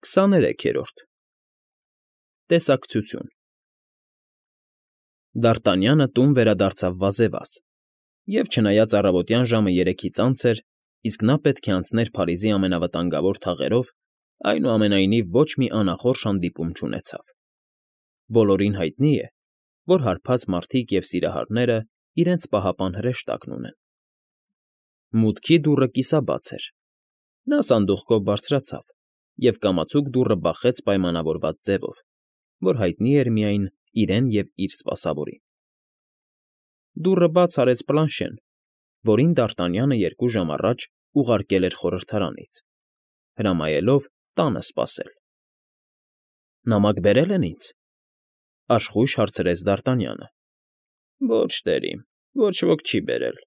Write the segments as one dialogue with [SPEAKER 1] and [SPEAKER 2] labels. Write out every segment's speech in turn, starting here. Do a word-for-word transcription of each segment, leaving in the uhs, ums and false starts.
[SPEAKER 1] Քսաներեքերորդ Տեսակցություն Դարտանյանը տուն վերադարձավ վազեվազ, և չնայած առավոտյան ժամը երեքից անց էր, իսկ նա պետք է անցներ Փարիզի ամենավտանգավոր թաղերով, այնուամենայնիվ ոչ մի անախորժ հանդիպում չունեցավ. բոլորին հայտնի է, որ հարբած մարդիկ և սիրահարները իրենց պահապան հրեշտակն ունեն։ Մուտքի դուռը կիսաբաց էր։ Նա սանդուղքով բարձրացավ և կամացուկ դուռը բախեց պայմանավորված ձևով, որ հայտնի էր միայն իրեն և իր սպասավորին։ Դուռը բաց արեց Պլանշեն, որին Դարտանյանը երկու ժամ առաջ ուղարկել էր խորհրդարանից, հրամայելով տանը սպասել։ ֊ Նամակ բերե՞լ են ինձ,֊ աշխույժ հարցրեց Դարտանյանը։ ֊ Ոչ, տերիմ, ոչ ոք չի բերել,֊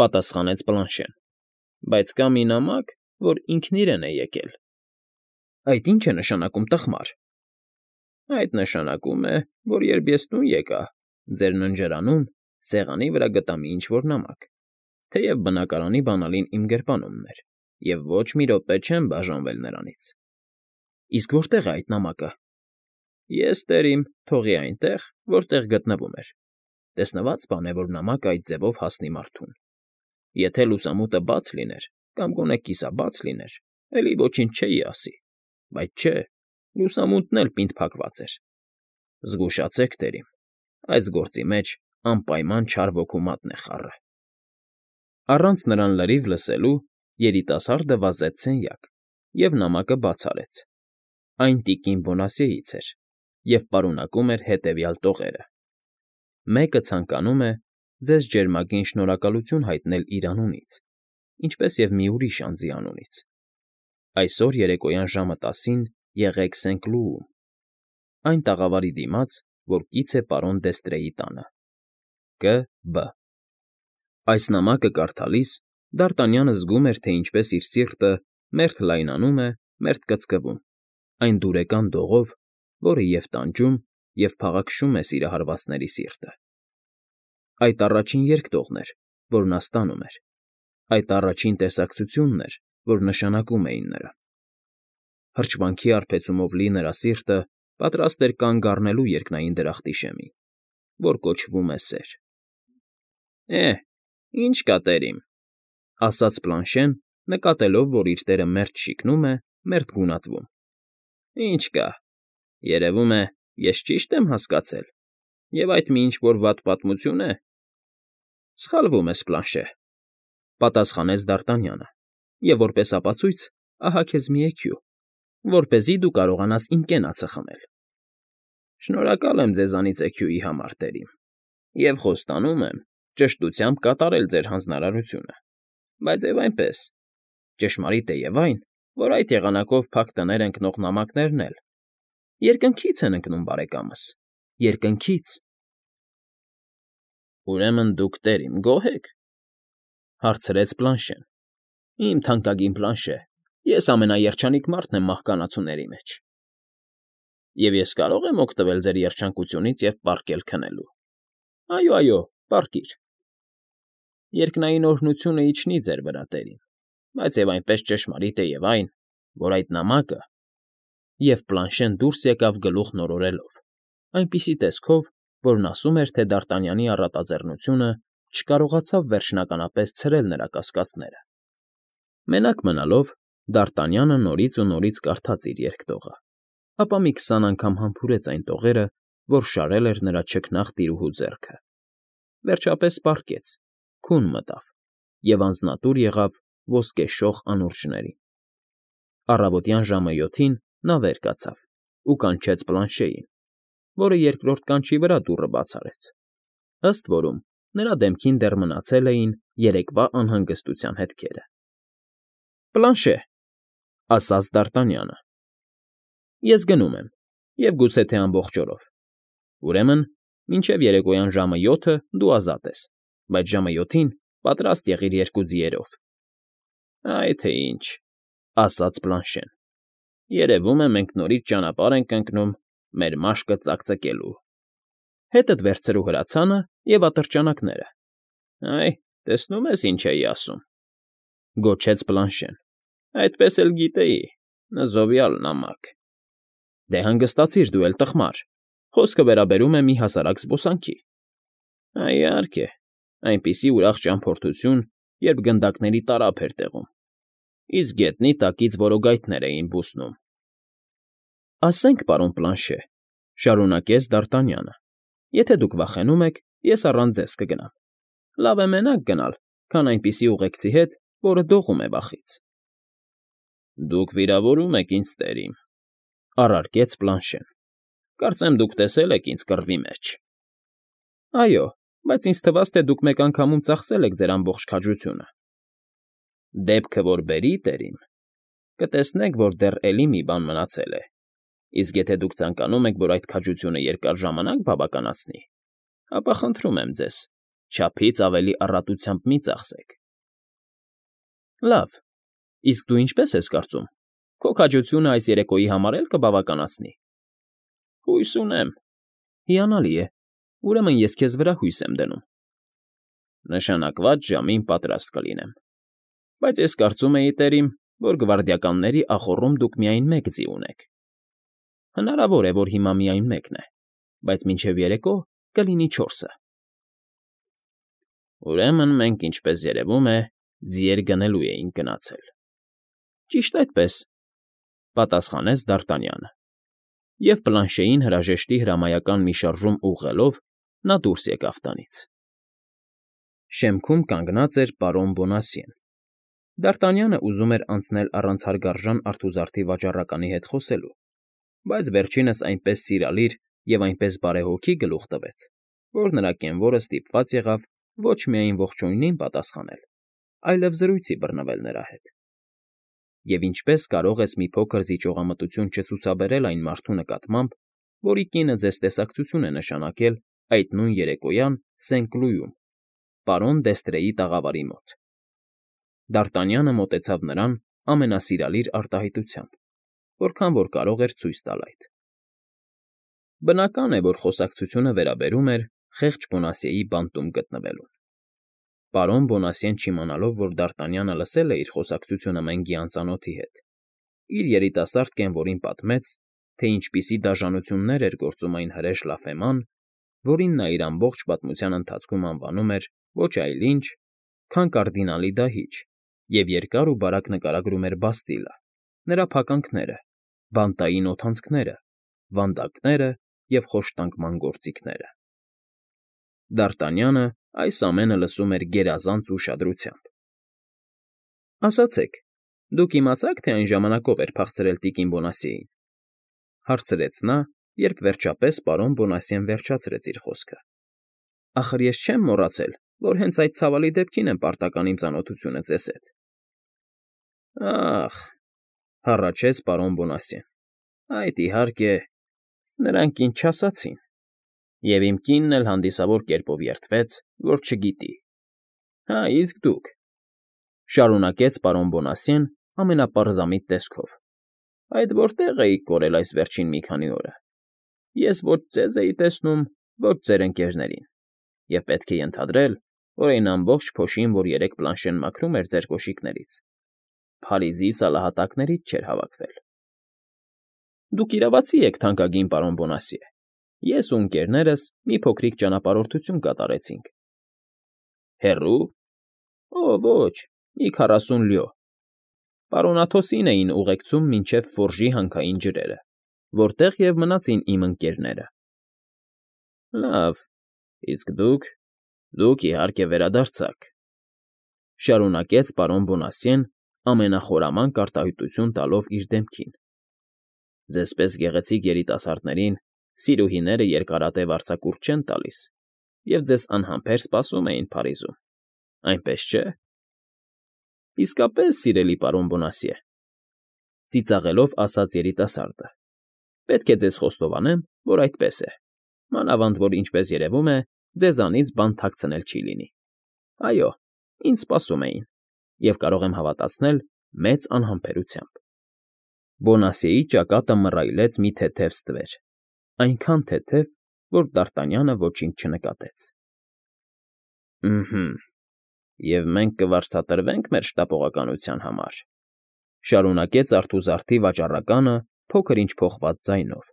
[SPEAKER 1] պատասխանեց Պլանշեն,֊ բայց կա մի նամակ, որ ինքն իրեն է եկել։ ֊ Այդ ի՞նչ է նշանակում, տխմար։ ֊ Այդ նշանակում է, որ երբ ես տուն եկա, ձեր ննջարանում սեղանի վրա գտա մի ինչ֊որ նամակ, թեև բնակարանի բանալին իմ գրպանումն էր, և ոչ մի րոպե չեմ բաժանվել նրանից։ ֊ Իսկ որտե՞ղ է այդ նամակը։ ֊ Ես, տերիմ, թողի այնտեղ, որտեղ գտնվում էր. տեսնված բան է, որ նամակը այդ ձևով հասնի մարդուն։ Եթե լուսամուտը բաց լիներ կամ գոնե կիսաբաց լիներ, էլի ոչինչ չէի ասի, բայց չէ, լուսամուտն էլ պինդ փակված էր։ Զգուշացեք, տերիմ, այս գործի մեջ անպայման չար ոգու մատն է խառը։ Առանց նրան լրիվ լսելու երիտասարդը վազեց սենյակ և նամակը բաց արեց։ Այն տիկին Բոնասիեից էր և պարունակում էր հետևյալ տողերը. «Մեկը ցանկանում է ձեզ ջերմագին շնորհակալություն հայտնել իր անունից, ինչպես և մի ուրիշ անձի անունից։ Այսօր երեկոյան ժամը տասին եղեք Սենկլուում, այն տաղավարի դիմաց, որ կից է պարոն Դեստրեի տանը։ Կ. Բ.» Այս նամակը կարդալիս Դարտանյանը զգում էր, թե ինչպես իր սիրտը մերթ լայնանում է, մերթ կծկվում այն դուրեկան դողով, որը և տանջում, և փաղաքշում է սիրահարվածների սիրտը։ Այդ առաջին երկտողն էր, որ նա ստանում էր, այդ առաջին տեսակցությունն էր, որ նշանակում էին նրան։ Հրճվանքի արբեցումով լի նրա սիրտը պատրաստ էր կանգ առնելու երկնային դրախտի շեմին, որ կոչվում է սեր։ ֊ Է՛հ, ի՞նչ կա, տերիմ,֊ ասաց Պլանշեն, նկատելով, որ իր տերը մերթ շիկնում է, մերթ գունատվում։ ֊ Ի՞նչ կա, երևում է, ես ճիշտ եմ հասկացել, և այդ մի ինչ֊որ վատ պատմություն է։ ֊ Սխալվում ես, Պլանշե,֊ պատասխանեց Դարտանյանը,֊ և որպես ապացույց ահա քեզ մի էքյու, որպեսզի դու կարողանաս իմ կենացը խմել։ ֊ Շնորհակալ եմ ձեզանից էքյուի համար, տերիմ, և խոստանում եմ ճշտությամբ կատարել ձեր հանձնարարությունը, բայց և այնպես, ճշմարիտ է և այն, որ այդ եղանակով փակ տներ ընկնող նամակներն էլ երկնքից են ընկնում, բարեկամս, երկնքից։ ֊ Ուրեմն դուք, տերիմ, գոհ եք,֊ հարցրեց Պլանշեն։ ֊ Իմ թանկագին Պլանշե, ես ամենաերջանիկ մարդն եմ մահկանացուների մեջ։ ֊ Եվ ես կարո՞ղ եմ օգտվել ձեր երջանկությունից և պառկել քնելու։ ֊ Այո, այո, պառկիր։ ֊ Երկնային օրհնությունը իջնի ձեր վրա, տերիմ, բայց և այնպես ճշմարիտ է և այն, որ այդ նամակը… Եվ Պլանշեն դուրս եկավ գլուխն օրորելով, այնպիսի տեսքով, որն ասում էր, թե Դարտանյանի առատաձեռնությունը չկարողացավ վերջնականապես ցրել նրա կասկածները։ Մենակ մնալով, Դարտանյանը նորից ու նորից կարդաց իր երկտողը, ապա մի քսան անգամ համբուրեց այն տողերը, որ շարել էր նրա չքնաղ տիրուհու ձեռքը։ Վերջապես պառկեց, քուն մտավ և անձնատուր եղավ ոսկեշող անուրջներին։ Առավոտյան ժամը յոթին նա վեր կացավ ու կանչեց Պլանշեին, որը երկրորդ կանչի վրա դուռը բաց արեց։ Ըստ որում նրա դեմքին դեռ մնացել էին երեկվա անհանգստության հետքերը։ ֊ Պլանշե,֊ ասաց Դարտանյանը,֊ ես գնում եմ, և գուցե թե ամբողջ օրով։ Ուրեմն մինչև երեկոյան ժամը յոթը դու ազատ ես, բայց ժամը յոթին պատրաստ եղիր երկու ձիերով։ ֊ Այ թե ինչ,֊ ասաց Պլանշեն,֊ երևում է մենք նորից ճանապարհ ենք ընկնում մեր մաշկը ծակծկելու։ Հետդ վերցրու հրացանը և ատրճանակները։ ֊ Այ, տեսնում ես, ինչ էի ասում,֊ գոչեց Պլանշեն,֊ այդպես էլ գիտեի, Նզովյալ նամակ։ Դե հանգստացիր դու էլ, տխմար, խոսքը վերաբերում է մի հասարակ զբոսանքի։ Իհարկե, այնպիսի ուրախ ճամփորդություն, երբ գնդակների տարափ էր տեղում, իսկ գետնի տակից որոգայթներ էին բուսնում։ Ասենք, պարոն Պլանշե, շարունակեց Դ'Արտանյանը, եթե դուք վախենում եք, ես առանց ձեզ կգնամ։ Լավ է մենակ գնալ, քան այնպիսի ուղեկցի հետ, որը դողում է վախից։ Դուք վիրավորում եք ինձ, տերիմ, առարկեց Պլանշեն։ Կարծեմ դուք տեսել եք ինձ կռվի մեջ։ Այո, բայց ինձ թվաց, թե դուք մեկ անգամում ծախսել եք ձեր ամբողջ քաջությունը։ Դեպքը որ բերի, տերիմ, կտեսնեք, որ դեռ էլի մի բան մնացել է, իսկ եթե դուք ցանկանում եք, որ այդ քաջությունը երկար ժամանակ բավականացնի, ապա խնդրում եմ ձեզ, չափից ավելի առատությամբ մի ծախսեք։ Լավ, իսկ դու ինչպես ես կարծում, քո քաջությունը այս երեկոյի համար էլ կբավականացնի։ Հույս ունեմ։ Հիանալի է, ուրեմն ես քեզ վրա հույս եմ դնում։ Նշանակված ժամին պատրաստ կլինեմ։ Բայց ես կարծում էի, տերիմ, որ գվարդիականների ախոռում դուք միայն մեկ ձի ունեք։ Հնարավոր է, որ հիմա միայն մեկն է, բայց մինչև երեկո կլինի չորսը։ Ուրեմն մենք, ինչպես երևում է, ձիեր գնելու էինք գնացել։ Ճիշտ այդպես, պատասխանեց Դ'Արտանյանը, և Պլանշեին հրաժեշտի հրամայական մի շարժում ուղղելով նա դուրս եկավ տանից։ Շեմքում կանգնած էր պարոն Բոնասյեն։ Դ'Արտանյանը ուզում էր անցնել առանց հարգարժան արթուզարդի վաճառականի հետ խոսելու, բայց վերջինս այնպես սիրալիր և այնպես բարեհոգի գլուխ տվեց, որ նրա կենվորը ստիպված եղավ ոչ միայն ողջույնին պատասխանել, այլև զրույցի բռնվել նրա հետ։ Եվ ինչպես կարող ես մի փոքր զիջողամտություն չցուցաբերել այն մարդու նկատմամբ, որի կինը ձեզ տեսակցություն է նշանակել այդ նույն երեկոյան Սեն֊Կլույում, պարոն Դեստրեի տաղավարի մոտ։ Դ'Արտանյանը մոտեցավ նրան ամենասիրալիր արտահայտությամբ, որքան որ կարող էր ցույց տալ այդ։ Բնական է, որ խոսակցությունը վերաբերում էր խեղճ Բոնասիեի բանտում գտնվելուն։ Պարոն Բոնասիեն չիմանալով, որ Դ'Արտանյանը լսել է իր խոսակցությունը Մենգի անծանոթի հետ, իր երիտասարդ կենվորին պատմեց, թե ինչպիսի դաժանություններ էր գործում այն հրեշ Լաֆեման, որին նա իր ամբողջ պատմության ընթացքում անվանում էր ոչ այլ ինչ, քան կարդինալի դահիճ, և երկար ու բարակ նկարագրում էր Բաստիլը, նրա փականքները, բանտային օդանցքները, վանդակները և խոշտանգման գործիքները։ Դ'Արտանյանը այս ամենը լսում էր գերազանց ուշադրությամբ։ Ասացեք, դուք իմացա՞ք, թե այն ժամանակով էր փախցրել տիկին Բոնասիեին, հարցրեց նա, երբ վերջապես պարոն Բոնասիեն վերջացրեց իր խոսքը։ Ախր ես չեմ մոռացել, որ հենց այդ ցավալի դեպքին եմ պարտական իմ ծանոթությունը ձեզ հետ։ Ա՜խ,֊ հառաչեց պարոն Բոնասիեն, այդ, իհարկե, նրանք ինձ չասացին, և իմ կինն էլ հանդիսավոր կերպով երդվեց, որ չգիտի։ Հա, իսկ դուք,֊ շարունակեց պարոն Բոնասիեն ամենապարզամիտ տեսքով,֊ այդ որտե՞ղ էիք կորել այս վերջին մի քանի օրը։ Ես ոչ ձեզ էի տեսնում, ոչ ձեր ընկերներին, և պետք է ենթադրել, որ այն ամբողջ փոշին, որ երեկ Պլանշեն մաքրում էր ձեր կոշիկներից, Փարիզի սալահատակներից չէր հավաքվել։ Դուք իրավացի եք, թանկագին պարոն Բոնասիե, ես ու ընկերներս մի փոքրիկ ճանապարհորդություն կատարեցինք։ Հեռո՞ւ։ Օ, ոչ, մի քառասուն լյո։ Պարոն Աթոսին էին ուղեկցում մինչև Ֆորժի հանքային ջրերը, որտեղ և մնացին իմ ընկերները։ Լավ, իսկ դուք, դուք, իհարկե, վերադարձաք,֊ շարունակեց պարոն Բոնասիեն ամենախորամանկ արտահայտություն տալով իր դեմքին։ Ձեզ պես գեղեցիկ երիտասարդներին սիրուհիները երկարատև արձակուրդ չեն տալիս, և ձեզ անհամբեր սպասում էին Փարիզում, այնպես չէ։ Իսկապես, սիրելի պարոն Բոնասիե,֊ ծիծաղելով ասաց երիտասարդը, պետք է ձեզ խոստովանեմ, որ այդպես է, մանավանդ որ, ինչպես երևում է, ձեզանից բան թաքցնել չի լինի։ Այո, ինձ սպասում էին, և կարող եմ հավատացնել մեծ անհամբերությամբ։ Բոնասիեի ճակատը մռայլեց մի թեթև ստվեր, այնքան թեթև, որ Դ'Արտանյանը ոչինչ չնկատեց։ Ըհը, և մենք կվարձատրվե՞նք մեր շտապողականության համար։ Շարունակեց արթուզարդի վաճառականը փոքր-ինչ փոխված ձայնով,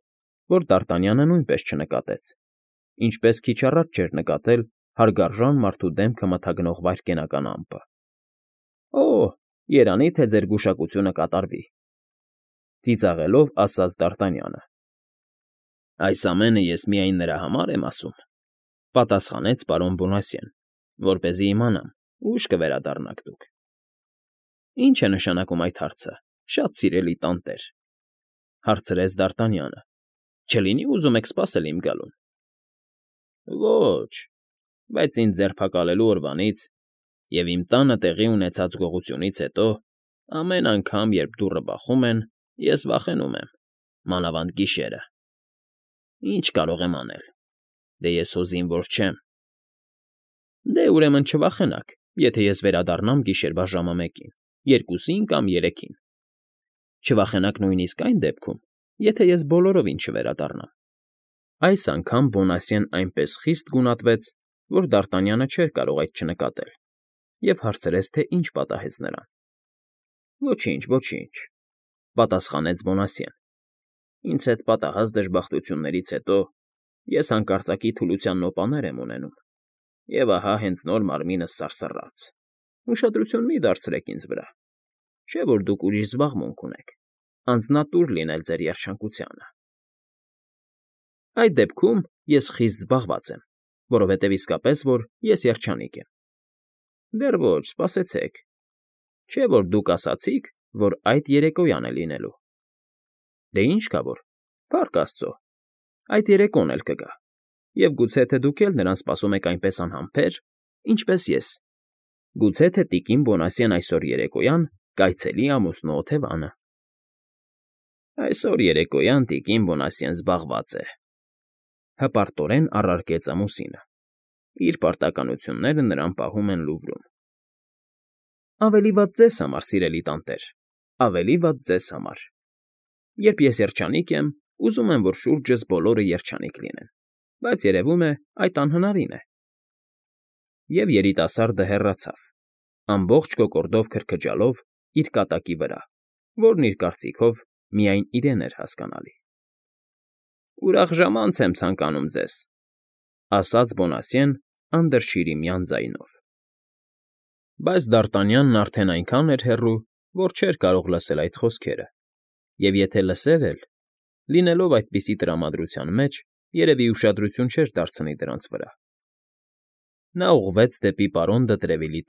[SPEAKER 1] որ Դարտանյանը նույնպես չնկատեց, ինչպես քիչ առաջ չէր նկատել հարգարժան մարդու դեմքը մթագնող վայրկենական ամպը։ ֊ Օ՜, երանի թե ձեր գուշակությունը կատարվի,֊ ծիծաղելով ասաց Դարտանյանը։ ֊ Այս ամենը ես միայն նրա համար եմ ասում,֊ պատասխանեց պարոն Բոնասյեն,֊ որպեսզի իմանամ՝ ուշ կվերադառնաք դուք։ ֊ Ի՞նչ է նշանակում այդ հարցը, շատ սիրելի տանտեր,֊ հարցրեց Դարտանյանը։֊ Չլինի՞ ուզում եք սպասել իմ գալուն։ ֊ Ոչ, բայց ինձ ձերբակալելու օրվանից և իմ տանը տեղի ունեցած գողությունից հետո ամեն անգամ, երբ դուռը բախում են, ես վախենում եմ, մանավանդ գիշերը։ Ինչ կարող եմ անել, դե ես հո զինվոր չեմ։ ֊ Դե, ուրեմն չվախենաք, եթե ես վերադառնամ գիշերվա ժամը մեկին, երկուսին կամ երեքին։ Չվախենաք նույնիսկ այն դեպքում, եթե ես բոլորովին չվերադառնամ։ Այս անգամ Բոնասյեն այնպես խիստ գունատվեց, որ Դարտանյանը չէր կարող այդ չնկատել, և հարցրեց, թե ինչ պատահեց նրան։ ֊ Ոչինչ, ոչինչ,֊ պատասխանեց Բոնասյեն,֊ ինձ հետ պատահած դժբախտություններից հետո ես հանկարծակի թուլության նոպաներ եմ ունենում, և ահա հենց նոր մարմինս սարսռաց։ Ուշադրություն մի՛ դարձրեք ինձ վրա, չէ՞ որ դուք ուրիշ զբաղմունք ունեք, անձնատուր լինել ձեր երջանկությանը։ ֊ Այդ դեպքում ես խիստ զբաղված եմ, որովհետև իսկապես որ ես երջանիկ եմ։ ֊ Դեռ ոչ, սպասեցեք, չէ՞ որ դուք ասացիք, որ այդ երեկոյան է լինելու։ ֊ Դե ինչ կա որ, փառք աստծո, այդ երեկոն էլ կգա, և գուցե թե դուք էլ նրան սպասում եք այնպես անհամբեր, ինչպես ես, գուցե թե տիկին Բոնասյեն այսօր երեկոյան կայցելի ամուսնու օթևանը։ ֊ Այսօր երեկոյան տիկին Բոնասյեն զբաղված է,֊ հպարտորեն առարկեց ամուսինը։֊ Իր պարտականությունները նրան պահում են Լուվրում։ ֊ Ավելի վատ ձեզ համար, սիրելի տանտեր, ավելի վատ ձեզ համար։ Երբ ես երջանիկ եմ, ուզում եմ, որ շուրջս բոլորը երջանիկ լինեն, բայց երևում է, այդ անհնարին է։ Եվ երիտասարդը հեռացավ, ամբողջ կոկորդով քրքջալով իր կատակի վրա, որն, իր կարծիքով, միայն իրեն էր հասկանալի։ ֊ Ուրախ ժամանց եմ ցանկանում ձեզ,֊ ասաց Բոնասյեն անդրշիրիմյան ձայնով։ Բայց Դարտանյանն արդեն այնքան էր հեռու, որ չէր կարող լսել այդ խոսքերը, և եթե լսեր էլ, լինելով այդպիսի տրամադրության մեջ, երևի ուշադրություն չէր դարձնի դրանց վրա։ Նա ուղղվեց դեպի պարոն Դը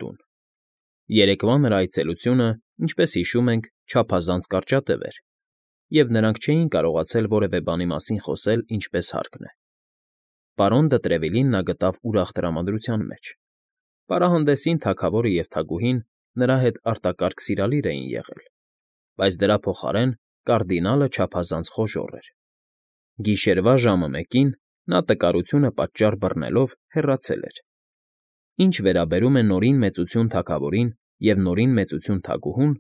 [SPEAKER 1] տուն։ Երեկվա նրա այցելությունը, ինչպես հիշում ենք, չափազանց կարճատև էր, և նրանք չէին կարողացել որևէ բանի մասին խոսել ինչպես հարկն է։ Պարոն Դը Տրևիլին նա գտավ ուրախ տրամադրության մեջ։ Պարահանդեսին թագավորը և թագուհին նրա հետ արտակարգ սիրալիր էին եղել, բայց դրա փոխարեն կարդինալը չափազանց խոժոռ էր։ Գիշերվա ժամը մեկին նա տկարությունը պատճառ բռնելով հեռացել էր։ Ինչ վերաբերում է Նորին Մեծություն թագավորին և Նորին Մեծություն թագուհուն,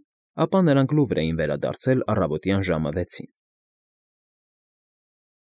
[SPEAKER 1] ապա նրանք Լուվր էին վերադարձել առավոտյան ժամը վեցին։